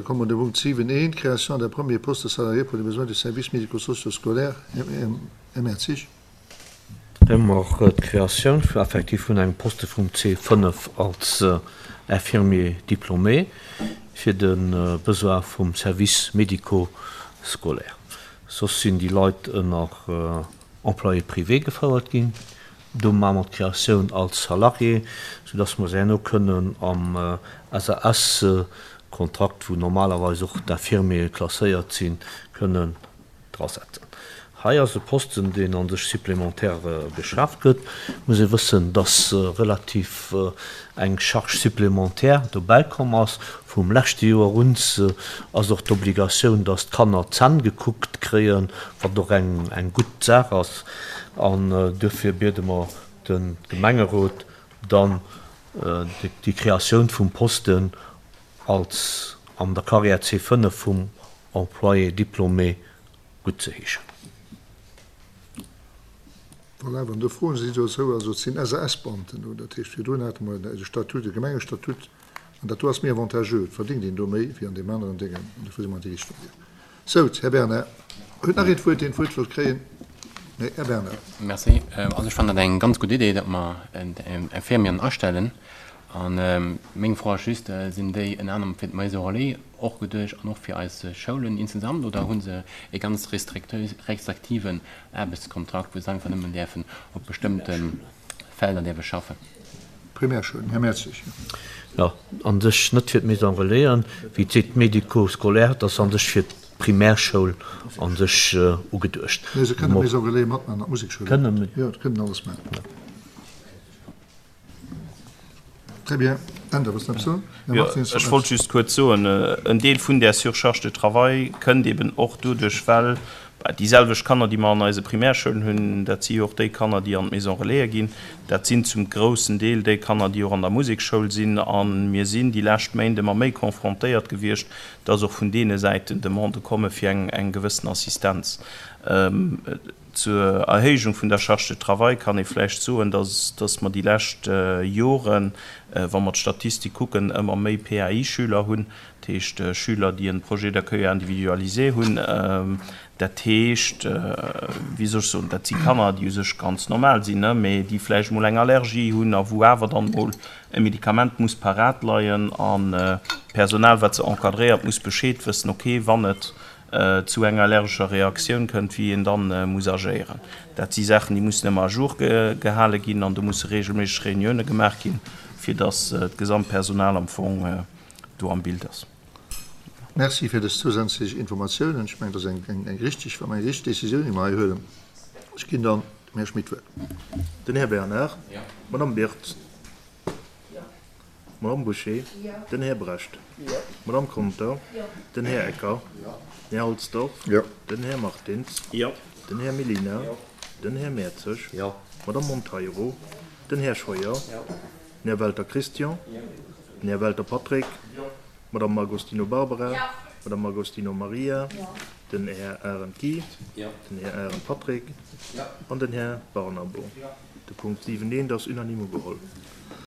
komme mer dem Punkt 7.1, Création d'un premier poste salarié pour les besoins du service médico-socio-scolaire, Här Mertzig. Hei hu mer d'Créatioun effektiv vun engem Poste vum C5 als Infirmier diplômé fir de Besoin vum Service médico-scolaire. Soss sinn déi Leit ënner Employé privé gefouert ginn. Do maache mer d'Créatioun als Salarié, soudass mer se herno kënnen am SAS-Kontrakt, wou normalerweis och d'Infirmiere klasséiert sinn, kënnen drasetzen. Hei ass e Posten, deen a sech supplémentaire geschaaft gëtt. Et muss ee wëssen, dass relativ eng Charge supplémentaire dobäi komm ass. Vum leschte Joer un ass och d'Obligatioun, dass d'Kanner d'Zänn gekuckt kréien, wat och eng gutt Saach ass. An duerfir biede mer de Gemengerot dann, déi Kreatioun vum Posten als an der Carrière C5 vum Employé diplômé guttzeheeschen. Voilà, wann do Froen sinn dozou, also et sinn SAS-Beamten do, dat heescht virdrun hate mer de Statut, de Gemengestatut, an dat do ass méi avantageux, et verdéngt een do méi wéi an deem aneren Déngen, an dofir si mer an déi Richtung gaangen. Sou, Här Bernard, huet nach een d'Wuert, deen d'Wuert wëllt kréien? Nee, Här Bernard. Merci. Also ech fannen dat eng ganz gutt Idee, datt mer Infirmieren astellen. A meng Fro ass just, Sinn déi ënner anerem fir d'Maison relais och geduecht an och fir eis Schoulen insgesamt oder hu se e ganz restriktiven Aarbechtskontrakt, wou se einfach nëmmen däerfen op bestëmmte Felder däerfe schaffen? Primärschoul, Här Mertzig. Jo, a sech net fir d'Maison relaisen, wéi d'Site médico-scolaire, dat ass a sech fir d'Primärschoul a sech ugeduecht. Nee, se kënnen d'Maison relais matmachen an d'Musekschoul och. Jo, kënnen alles maachen. Très bien. Änder, wëlls de eppes soen? Här Martins, Ech wollt just kuerz soen, en Deel vun där Surcharge de travail kënnt eben och doduerch, well déi selwecht Kanner, déi mer an eise Primärschoulen hunn, dat si jo och déi Kanner, déi an d'Maison relaisen ginn, dat sinn zum groussen Deel déi Kanner, déi och an der Musekschoul sinn. A mir sinn déi lescht Méint ëmmer méi confrontéiert gewiescht, dass och vun deene Säiten Demandë komme fir eng gewëssen Assistenz. Zur Erhéijung vun der Charge de travail kann ee vläicht soen, dass, dass mer déi lescht Joren, wa mer d'Statistik kucken, ëmmer méi PAI-Schüler hunn, dat heescht Schüler, déi en Projet d'accueil individualisé hunn. Dat heescht, wéi soll ech soen, dat si Kanner, déi u sech ganz normal sinn, mee déi vläicht emol eng Allergie hunn a wou awer dann emol e Medikament muss parat leien an d'Personal, wat se encadréiert, muss Bescheed wëssen, okay, wann et zu enger allergescher Reaktioun kënnt, wéi een dann muss agéieren. Dat si Saachen, déi mussen ëmmer à jour gehale ginn an do musse regelméisseg Reunioune gemaach ginn, fir datt d'Gesamtpersonal am Fong do am Bild ass. Merci fir dës zousätzlech Informatiounen. Ech mengen, dat ass eng richtig, wa mer eng richtig Décisioun, déi mer hei huelen. Ech ginn dann dem Här Schmit d'Wuert. Den Här Bernard. D'Madame Birtz. D'Madame Bouché, den Här Brecht, d'Madame Conter, den Här Ecker, den Här Halsdorf, den Här Martins, den Här Mellina, den Här Mertzig, d'Madame Monteiro, den Här Scheuer, den Här Welter Christian, den Här Welter Patrick, d'Madame Agostino Barbara, d'Madame Agostino Maria, den Här Arendt Guy, den Här Arendt Patrick an den Här Barnabo. De Punkt 7 eent ass unanime ugeholl.